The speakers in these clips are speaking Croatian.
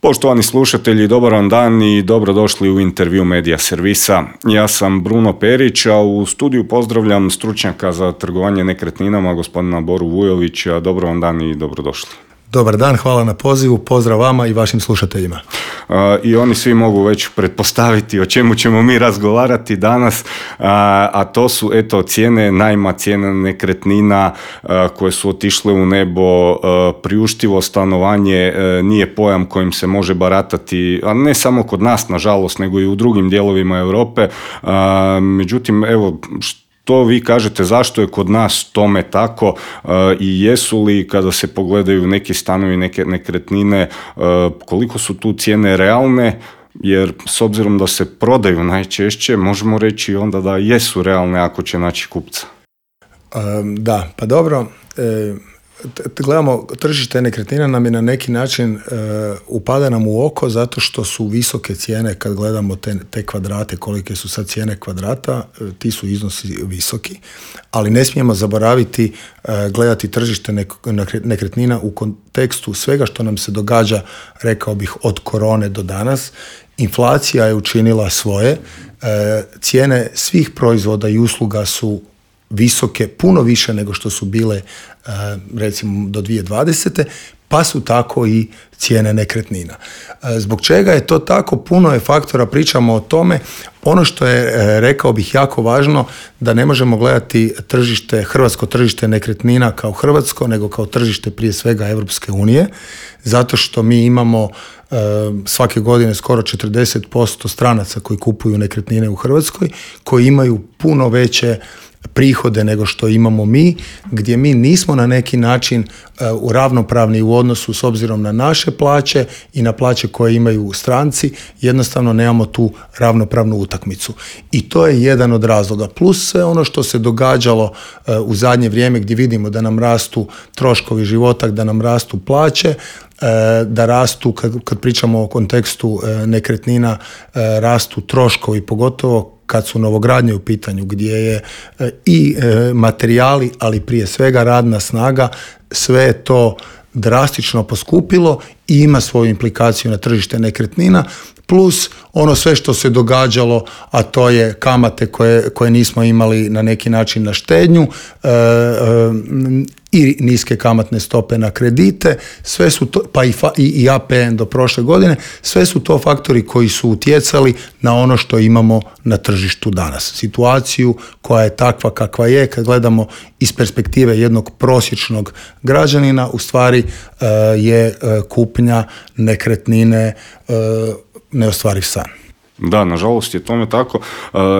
Poštovani slušatelji, dobar vam dan i dobrodošli u intervju Medija servisa. Ja sam Bruno Perić, a u studiju pozdravljam stručnjaka za trgovanje nekretninama, gospodina Boru Vujovića. Dobar vam dan i dobrodošli. Dobar dan, hvala na pozivu, pozdrav vama i vašim slušateljima. I oni svi mogu već pretpostaviti o čemu ćemo mi razgovarati danas, a to su cijene najma, cijene nekretnina koje su otišle u nebo. Priuštivo stanovanje nije pojam kojim se može baratati, a ne samo kod nas nažalost, nego i u drugim dijelovima Europe. Međutim, to vi kažete zašto je kod nas tome tako i jesu li, kada se pogledaju neki stanovi, neke nekretnine, koliko su tu cijene realne, jer s obzirom da se prodaju najčešće, možemo reći onda da jesu realne ako će naći kupca. Da, pa dobro, gledamo, tržište nekretnina nam je na neki način upada nam u oko zato što su visoke cijene. Kad gledamo te kvadrate, kolike su sad cijene kvadrata, ti su iznosi visoki, ali ne smijemo zaboraviti gledati tržište nekretnina u kontekstu svega što nam se događa, rekao bih, od korone do danas. Inflacija je učinila svoje, cijene svih proizvoda i usluga su visoke, puno više nego što su bile recimo do 2020. Pa su tako i cijene nekretnina. Zbog čega je to tako? Puno je faktora, pričamo o tome. Ono što je, rekao bih, jako važno, da ne možemo gledati hrvatsko tržište nekretnina kao hrvatsko, nego kao tržište prije svega Europske unije, zato što mi imamo svake godine skoro 40% stranaca koji kupuju nekretnine u Hrvatskoj, koji imaju puno veće prihode nego što imamo mi, gdje mi nismo na neki način ravnopravni u odnosu s obzirom na naše plaće i na plaće koje imaju stranci, jednostavno nemamo tu ravnopravnu utakmicu. I to je jedan od razloga. Plus sve ono što se događalo u zadnje vrijeme, gdje vidimo da nam rastu troškovi života, da nam rastu plaće, da rastu, kad pričamo o kontekstu nekretnina, rastu troškovi, pogotovo kad su novogradnje u pitanju, gdje je i materijali, ali prije svega radna snaga, sve je to drastično poskupilo i ima svoju implikaciju na tržište nekretnina, plus ono sve što se događalo, a to je kamate koje nismo imali na neki način na štednju, i niske kamatne stope na kredite, sve su to, pa i APN do prošle godine, sve su to faktori koji su utjecali na ono što imamo na tržištu danas. Situaciju koja je takva kakva je, kad gledamo iz perspektive jednog prosječnog građanina, u stvari je kupnja nekretnine neostvariv san. Da, nažalost je tome tako.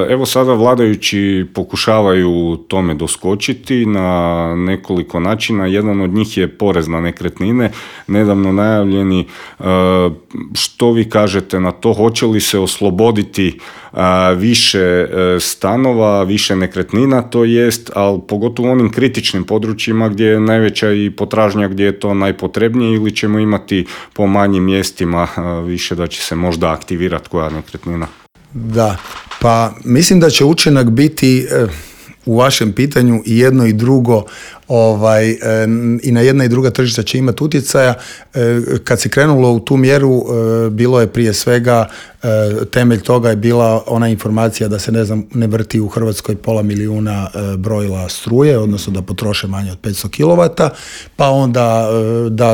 Evo sada vladajući pokušavaju tome doskočiti na nekoliko načina. Jedan od njih je porez na nekretnine, nedavno najavljeni. Što vi kažete na to? Hoće li se osloboditi više stanova, više nekretnina, to jest, ali pogotovo u onim kritičnim područjima gdje je najveća i potražnja, gdje je to najpotrebnije, ili ćemo imati po manjim mjestima više da će se možda aktivirati koja nekretnina? Da, pa mislim da će učinak biti u vašem pitanju i jedno i drugo, i na jedna i druga tržišta će imati utjecaja. Kad se krenulo u tu mjeru, bilo je prije svega, temelj toga je bila ona informacija da se ne vrti u Hrvatskoj 500.000 brojila struje, odnosno da potroše manje od 500 kW, pa onda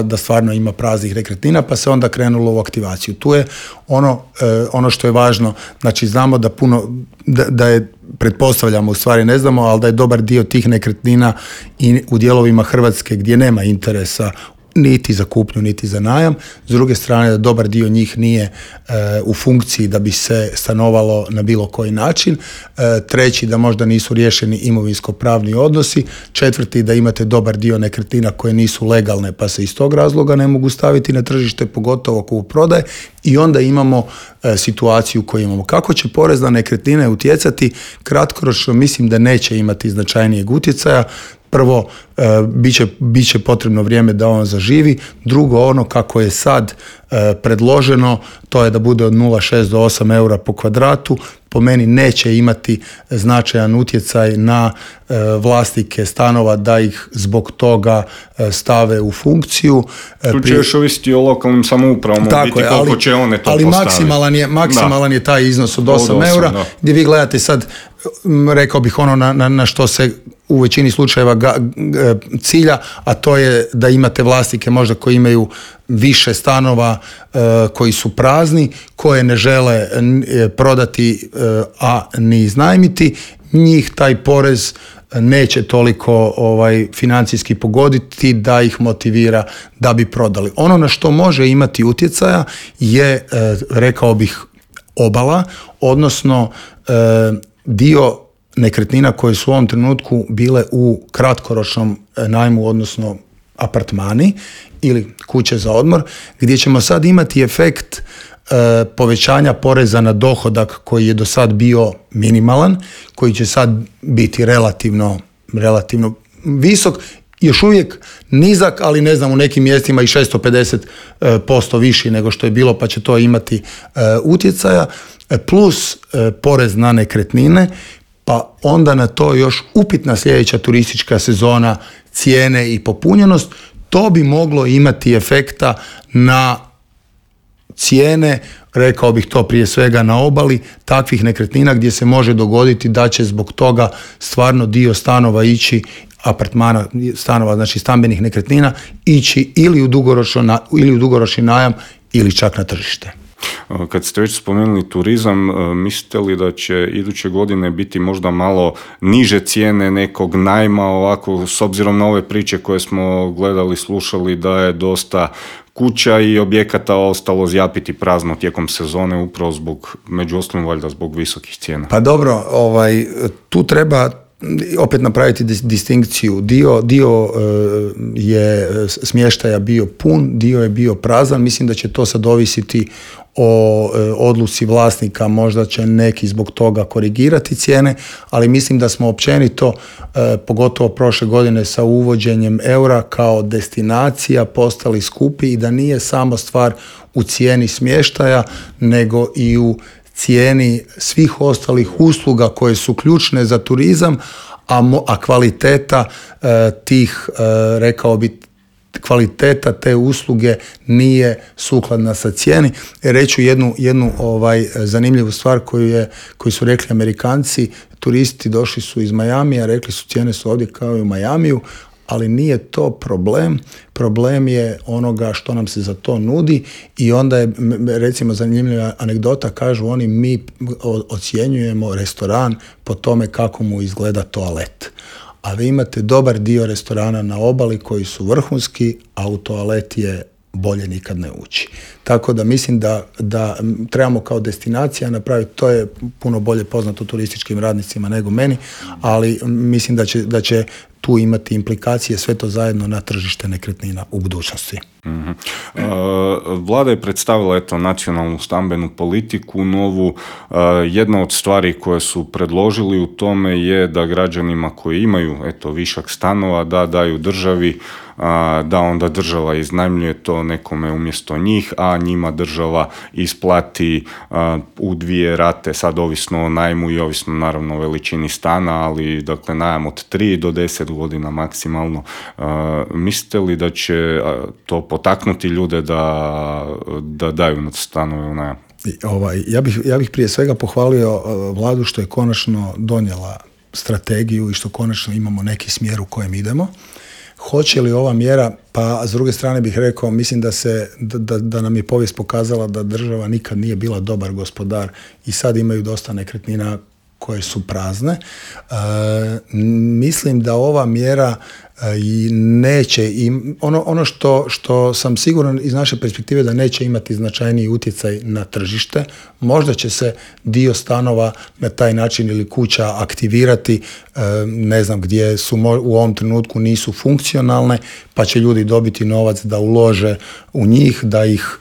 da stvarno ima praznih nekretnina, pa se onda krenulo u aktivaciju. Tu je ono što je važno, znači znamo da je, pretpostavljamo, u stvari ne znamo, ali da je dobar dio tih nekretnina i u dijelovima Hrvatske gdje nema interesa niti za kupnju, niti za najam. S druge strane, da dobar dio njih nije u funkciji da bi se stanovalo na bilo koji način. Treći, da možda nisu riješeni imovinsko-pravni odnosi. Četvrti, da imate dobar dio nekretnina koje nisu legalne, pa se iz tog razloga ne mogu staviti na tržište, pogotovo kupoprodaje. I onda imamo situaciju koju imamo. Kako će porez na nekretnine utjecati? Kratkoročno mislim da neće imati značajnijeg utjecaja. prvo, bit će potrebno vrijeme da on zaživi, drugo, ono kako je sad predloženo, to je da bude od 0,6 do 8 eura po kvadratu, po meni neće imati značajan utjecaj na vlasnike stanova da ih zbog toga stave u funkciju. Tu će još ovisiti o lokalnim samoupravom, biti koliko će one to ali postaviti. maksimalan je taj iznos od 8 eura, da. gdje vi gledate sad, rekao bih ono na što se u većini slučajeva cilja, a to je da imate vlasnike možda koji imaju više stanova koji su prazni, koje ne žele prodati, a ni iznajmiti. Njih taj porez neće toliko financijski pogoditi da ih motivira da bi prodali. Ono na što može imati utjecaja je, rekao bih, obala, odnosno dio nekretnina koje su u ovom trenutku bile u kratkoročnom najmu, odnosno apartmani ili kuće za odmor, gdje ćemo sad imati efekt povećanja poreza na dohodak koji je do sad bio minimalan, koji će sad biti relativno visok, još uvijek nizak, ali ne znam, u nekim mjestima i 650% viši nego što je bilo, pa će to imati utjecaja, plus porez na nekretnine, pa onda na to još upitna sljedeća turistička sezona, cijene i popunjenost. To bi moglo imati efekta na cijene, rekao bih to prije svega na obali, takvih nekretnina gdje se može dogoditi da će zbog toga stvarno dio stanova ići, apartmana, stanova, znači stambenih nekretnina, ići ili u dugoročni najam ili čak na tržište. Kad ste već spomenuli turizam, mislite li da će iduće godine biti možda malo niže cijene nekog najma, ovako, s obzirom na ove priče koje smo gledali, slušali, da je dosta kuća i objekata ostalo zjapiti prazno tijekom sezone, upravo zbog, među ostalim valjda zbog visokih cijena? Pa dobro, tu treba opet napraviti distinkciju. Dio je smještaja bio pun, dio je bio prazan. Mislim da će to sad ovisiti o odluci vlasnika, možda će neki zbog toga korigirati cijene, ali mislim da smo općenito, pogotovo prošle godine sa uvođenjem eura kao destinacija, postali skupi i da nije samo stvar u cijeni smještaja, nego i u cijeni svih ostalih usluga koje su ključne za turizam, a kvaliteta tih, rekao bi, kvaliteta te usluge nije sukladna sa cijeni. Reću jednu zanimljivu stvar koju su rekli Amerikanci. Turisti došli su iz Majamija, rekli su cijene su ovdje kao i u Majamiju, ali nije to problem. Problem je onoga što nam se za to nudi i onda je, recimo, zanimljiva anegdota, kažu oni, mi ocjenjujemo restoran po tome kako mu izgleda toalet. A vi imate dobar dio restorana na obali koji su vrhunski, a u toalet je bolje nikad ne ući. Tako da mislim da trebamo kao destinacija napraviti, to je puno bolje poznato turističkim radnicima nego meni, ali mislim da će tu imati implikacije sve to zajedno na tržište nekretnina u budućnosti. Mm-hmm. Vlada je predstavila nacionalnu stambenu politiku novu. Jedna od stvari koje su predložili u tome je da građanima koji imaju višak stanova da daju državi, da onda država iznajmljuje to nekome umjesto njih, a njima država isplati u 2 rate, sad ovisno o najmu i ovisno naravno o veličini stana, ali dakle najam od 3 do 10 godina maksimalno. Mislite li da će to potaknuti ljude da daju stanove u najam? Ja bih prije svega pohvalio Vladu što je konačno donijela strategiju i što konačno imamo neki smjer u kojem idemo. Hoće li ova mjera, pa s druge strane bih rekao, mislim da nam je povijest pokazala da država nikad nije bila dobar gospodar i sad imaju dosta nekretnina koje su prazne. Mislim da ova mjera i neće, ono što sam siguran iz naše perspektive da neće imati značajniji utjecaj na tržište. Možda će se dio stanova na taj način ili kuća aktivirati, ne znam, gdje su u ovom trenutku nisu funkcionalne, pa će ljudi dobiti novac da ulože u njih, da ih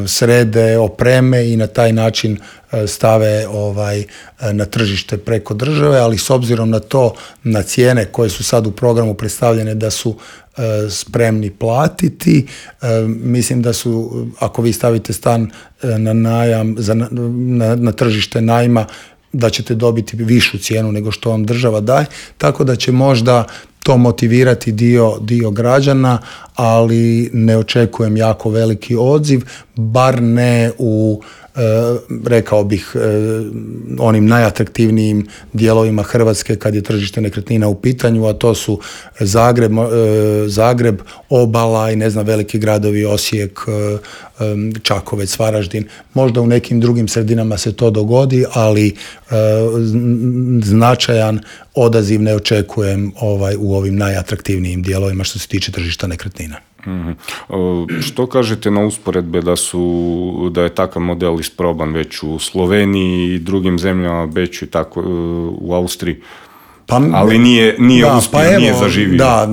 srede, opreme i na taj način stave na tržište preko države, ali s obzirom na to, na cijene koje su sad u programu predstavljene da su spremni platiti, mislim da su, ako vi stavite stan na najam, na tržište najma, da ćete dobiti višu cijenu nego što vam država daje, tako da će možda to motivirati dio građana, ali ne očekujem jako veliki odziv, bar ne u, rekao bih, onim najatraktivnijim dijelovima Hrvatske kad je tržište nekretnina u pitanju, a to su Zagreb, obala i ne znam, veliki gradovi, Osijek, Čakovec, Varaždin. Možda u nekim drugim sredinama se to dogodi, ali značajan odaziv ne očekujem u ovim najatraktivnijim dijelovima što se tiče tržišta nekretnina. Što kažete na usporedbe da je takav model isproban već u Sloveniji i drugim zemljama, već i tako u Austriji? Ali nije uspio, nije zaživio. Da,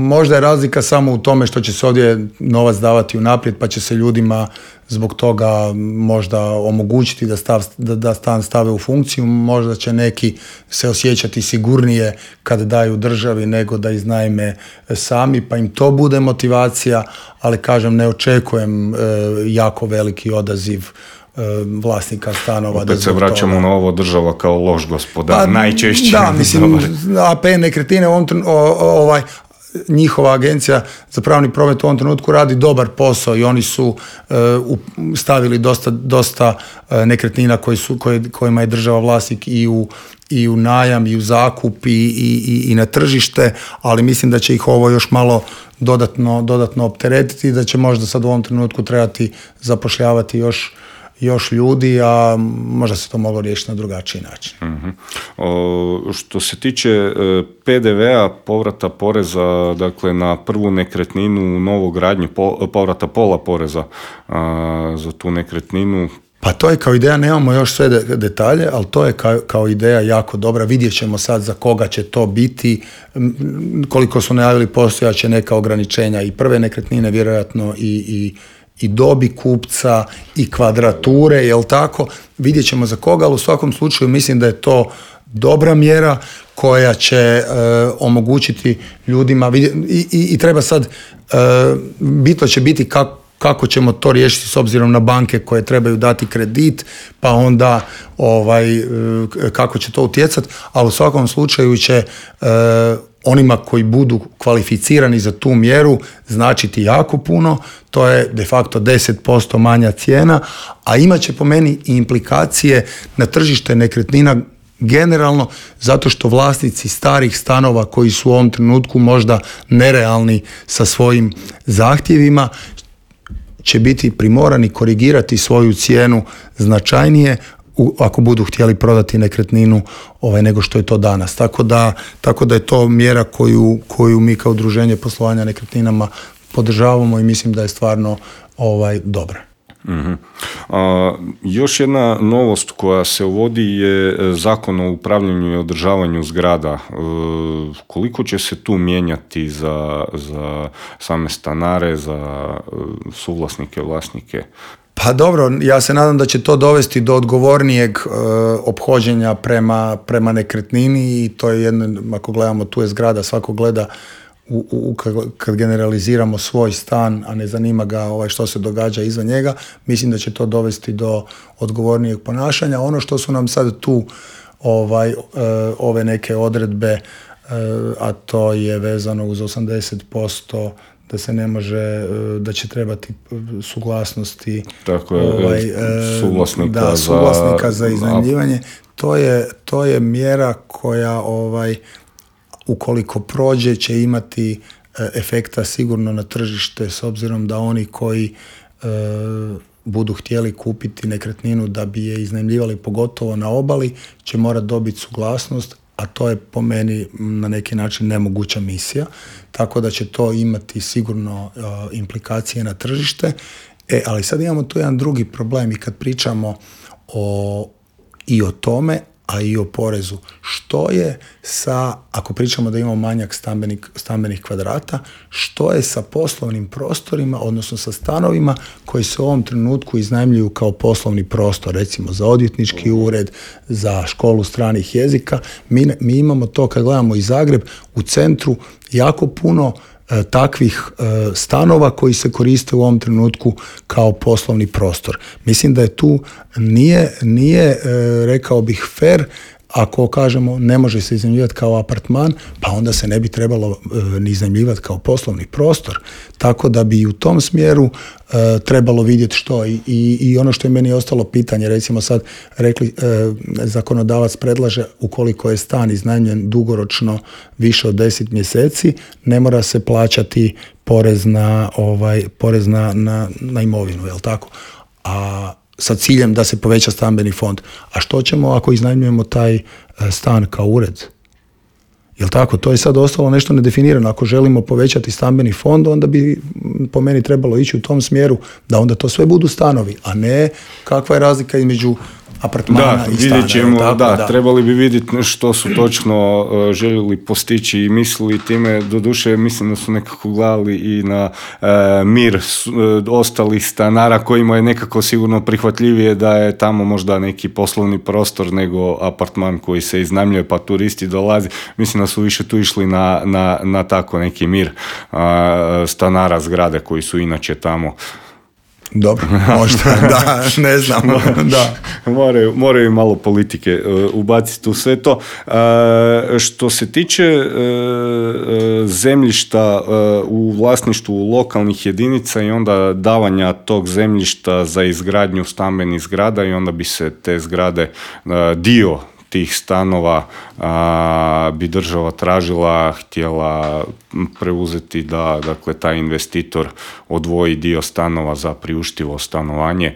možda je razlika samo u tome što će se ovdje novac davati unaprijed, pa će se ljudima zbog toga možda omogućiti da stan stave u funkciju. Možda će neki se osjećati sigurnije kad daju državi nego da iznajme sami, pa im to bude motivacija, ali kažem, ne očekujem jako veliki odaziv vlasnika stanova. Opet se vraćamo na ovo, država kao loš gospodar, najčešće. Da, mislim, APN nekretnine, njihova agencija za pravni promet u ovom trenutku radi dobar posao i oni su stavili dosta nekretnina kojima je država vlasnik i u najam i u zakup i na tržište, ali mislim da će ih ovo još malo dodatno opteretiti i da će možda sad u ovom trenutku trebati zapošljavati još ljudi, a možda se to moglo riješiti na drugačiji način. Što se tiče PDV-a, povrata poreza, dakle na prvu nekretninu u novogradnju, povrata pola poreza za tu nekretninu. Pa to je kao ideja, nemamo još sve detalje, ali to je kao ideja jako dobra. Vidjet ćemo sad za koga će to biti, koliko su najavili, postojaće neka ograničenja i prve nekretnine, vjerojatno i dobi kupca i kvadrature, jel tako? Vidjet ćemo za koga, ali u svakom slučaju mislim da je to dobra mjera koja će omogućiti ljudima i treba sad, bitno će biti kako ćemo to riješiti s obzirom na banke koje trebaju dati kredit, pa onda kako će to utjecati, ali u svakom slučaju će onima koji budu kvalificirani za tu mjeru značiti jako puno, to je de facto 10% manja cijena, a imat će po meni i implikacije na tržište nekretnina generalno, zato što vlasnici starih stanova koji su u ovom trenutku možda nerealni sa svojim zahtjevima će biti primorani korigirati svoju cijenu značajnije ako budu htjeli prodati nekretninu nego što je to danas. Tako da je to mjera koju mi kao udruženje poslovanja nekretninama podržavamo i mislim da je stvarno dobra. Mm-hmm. Još jedna novost koja se uvodi je Zakon o upravljanju i održavanju zgrada. Koliko će se tu mijenjati za same stanare, za suvlasnike, vlasnike? Pa dobro, ja se nadam da će to dovesti do odgovornijeg ophođenja prema nekretnini i to je jedno, ako gledamo, tu je zgrada, svako gleda kad generaliziramo svoj stan, a ne zanima ga što se događa izvan njega, mislim da će to dovesti do odgovornijeg ponašanja. Ono što su nam sad tu ove neke odredbe, a to je vezano uz 80%, da se ne može, da će trebati suglasnosti suvlasnika za iznajmljivanje. To je mjera koja ukoliko prođe će imati efekta sigurno na tržište, s obzirom da oni koji budu htjeli kupiti nekretninu da bi je iznajmljivali, pogotovo na obali, će morati dobiti suglasnost, a to je po meni na neki način nemoguća misija, tako da će to imati sigurno implikacije na tržište. Ali sad imamo tu jedan drugi problem i kad pričamo i o tome, a i o porezu. Što je sa, ako pričamo da imamo manjak stambenih kvadrata, što je sa poslovnim prostorima, odnosno sa stanovima koji se u ovom trenutku iznajmljuju kao poslovni prostor, recimo za odvjetnički ured, za školu stranih jezika. Mi imamo to, kad gledamo i Zagreb, u centru jako puno takvih stanova koji se koriste u ovom trenutku kao poslovni prostor. Mislim da je tu nije rekao bih fair ako kažemo ne može se iznajmljivati kao apartman, pa onda se ne bi trebalo ni iznajmljivati kao poslovni prostor. Tako da bi u tom smjeru trebalo vidjeti što i ono što je meni ostalo pitanje, recimo sad rekli, zakonodavac predlaže ukoliko je stan iznajmljen dugoročno više od 10 mjeseci, ne mora se plaćati porez na imovinu, jel tako? A sa ciljem da se poveća stambeni fond. A što ćemo ako iznajmljujemo taj stan kao ured? Jel tako? To je sad ostalo nešto nedefinirano. Ako želimo povećati stambeni fond, onda bi po meni trebalo ići u tom smjeru da onda to sve budu stanovi, a ne kakva je razlika između apartmana i stana. Vidjet ćemo, trebali bi vidjeti što su točno željeli postići i mislili time. Doduše, mislim da su nekako gledali i na mir ostalih stanara kojima je nekako sigurno prihvatljivije da je tamo možda neki poslovni prostor nego apartman koji se iznajmljuje pa turisti dolazi. Mislim da su više tu išli na tako neki mir stanara zgrade koji su inače tamo. Dobro, možda, da, ne znam, da. Moraju malo politike ubaciti u sve to. Što se tiče zemljišta u vlasništvu lokalnih jedinica i onda davanja tog zemljišta za izgradnju stambenih zgrada i onda bi se te zgrade, dio tih stanova bi država tražila, htjela preuzeti da dakle taj investitor odvoji dio stanova za priuštivo stanovanje.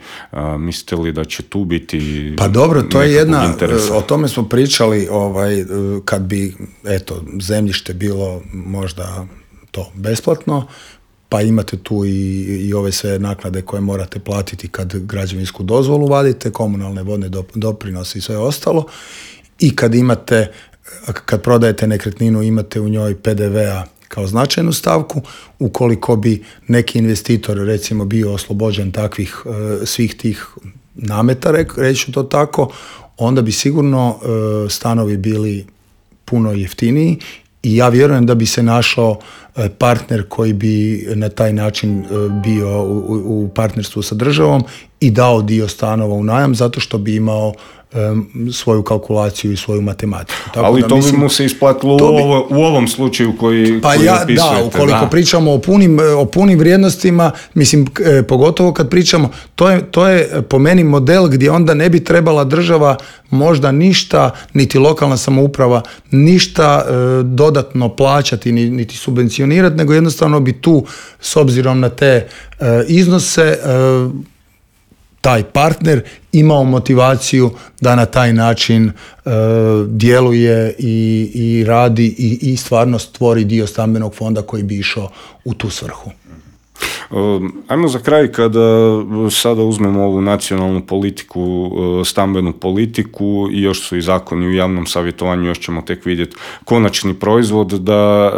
Mislite li da će tu biti pa dobro, to je jedna interesa? O tome smo pričali kad bi zemljište bilo možda to besplatno, pa imate tu i ove sve naknade koje morate platiti kad građevinsku dozvolu vadite, komunalne vodne doprinose i sve ostalo. I kad prodajete nekretninu, imate u njoj PDV-a kao značajnu stavku. Ukoliko bi neki investitor recimo bio oslobođen takvih svih tih nameta, reći to tako, onda bi sigurno stanovi bili puno jeftiniji i ja vjerujem da bi se našao partner koji bi na taj način bio u partnerstvu sa državom i dao dio stanova u najam zato što bi imao svoju kalkulaciju i svoju matematiku. Tako ali da, to bi mu se isplatilo u ovom slučaju koji opisujete. Da, ukoliko pričamo o punim vrijednostima, mislim, pogotovo kad pričamo, to je po meni model gdje onda ne bi trebala država možda ništa, niti lokalna samouprava, ništa dodatno plaćati, niti subvencionirati, nego jednostavno bi tu, s obzirom na te iznose, taj partner imao motivaciju da na taj način djeluje i radi i stvarno stvori dio stambenog fonda koji bi išao u tu svrhu. Ajmo za kraj, kada sada uzmemo ovu nacionalnu politiku, stambenu politiku i još su i zakoni u javnom savjetovanju, još ćemo tek vidjeti konačni proizvod,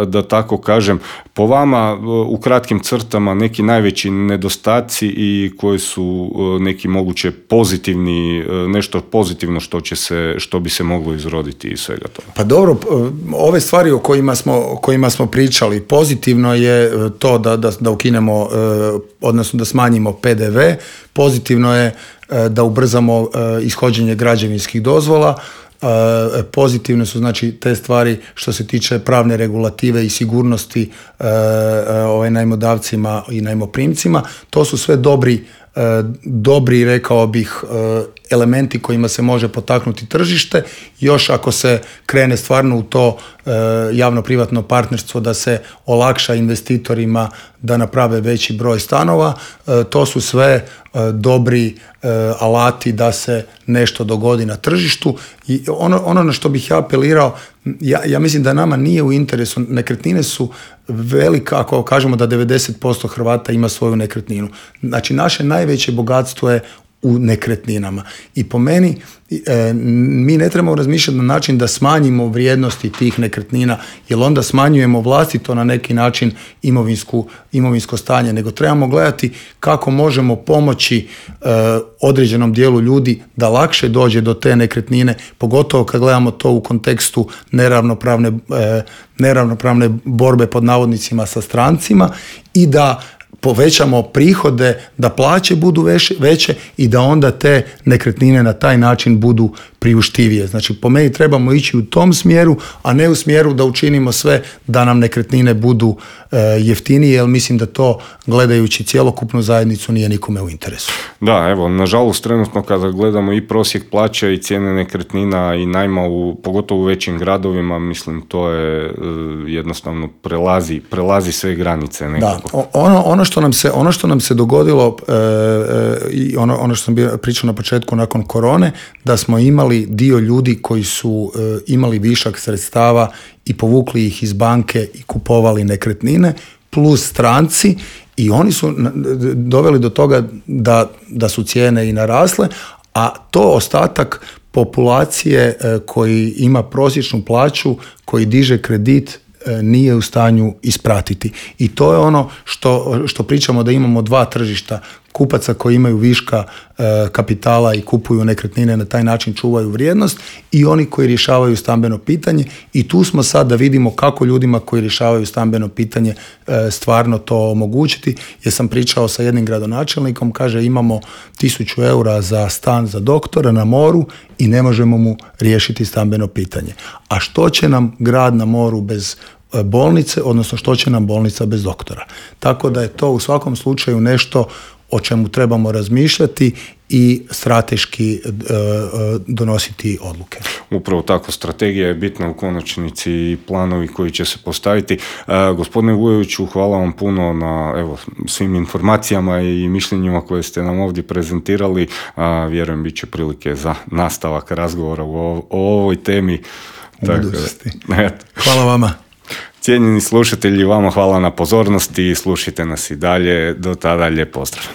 da tako kažem. Po vama, u kratkim crtama, neki najveći nedostaci i koji su neki moguće pozitivni, nešto pozitivno što bi se moglo izroditi iz svega toga? Pa dobro, ove stvari o kojima smo pričali, pozitivno je to da ukinemo, odnosno da smanjimo PDV, pozitivno je da ubrzamo ishođenje građevinskih dozvola, pozitivne su znači te stvari što se tiče pravne regulative i sigurnosti najmodavcima i najmoprimcima. To su sve dobri, rekao bih, elementi kojima se može potaknuti tržište. Još ako se krene stvarno u to javno-privatno partnerstvo da se olakša investitorima da naprave veći broj stanova, to su sve dobri alati da se nešto dogodi na tržištu. I ono na što bih ja apelirao, ja mislim da nama nije u interesu, nekretnine su velika, ako kažemo da 90% Hrvata ima svoju nekretninu. Znači naše najveće bogatstvo je u nekretninama. I po meni mi ne trebamo razmišljati na način da smanjimo vrijednosti tih nekretnina, jer onda smanjujemo vlastito na neki način imovinsko stanje, nego trebamo gledati kako možemo pomoći određenom dijelu ljudi da lakše dođe do te nekretnine, pogotovo kad gledamo to u kontekstu neravnopravne borbe pod navodnicima sa strancima i da povećamo prihode, da plaće budu veće i da onda te nekretnine na taj način budu priuštivije. Znači, po meni trebamo ići u tom smjeru, a ne u smjeru da učinimo sve da nam nekretnine budu jeftinije, jer mislim da to, gledajući cjelokupnu zajednicu, nije nikome u interesu. Da, evo, nažalost, trenutno kada gledamo i prosjek plaća i cijene nekretnina i najma, pogotovo u većim gradovima, mislim, to je jednostavno prelazi sve granice nekako. Da, ono što nam se dogodilo i ono što sam pričao na početku nakon korone, da smo imali dio ljudi koji su imali višak sredstava i povukli ih iz banke i kupovali nekretnine, plus stranci, i oni su doveli do toga da su cijene i narasle, a to ostatak populacije koji ima prosječnu plaću, koji diže kredit, nije u stanju ispratiti. I to je ono što pričamo, da imamo dva tržišta. Kupaca koji imaju viška kapitala i kupuju nekretnine, na taj način čuvaju vrijednost, i oni koji rješavaju stambeno pitanje. I tu smo sad da vidimo kako ljudima koji rješavaju stambeno pitanje stvarno to omogućiti. Jer sam pričao sa jednim gradonačelnikom, kaže, imamo 1000 eura za stan za doktora na moru i ne možemo mu riješiti stambeno pitanje. A što će nam grad na moru bez bolnice, odnosno što će nam bolnica bez doktora? Tako da je to u svakom slučaju nešto o čemu trebamo razmišljati i strateški donositi odluke. Upravo tako, strategija je bitna u konačnici i planovi koji će se postaviti. Gospodine Vujoviću, hvala vam puno na svim informacijama i mišljenjima koje ste nam ovdje prezentirali. Vjerujem bit će prilike za nastavak razgovora o ovoj temi. Hvala vama. Cijenjeni slušatelji, vama hvala na pozornosti, slušajte nas i dalje. Do tada, lijep pozdrav.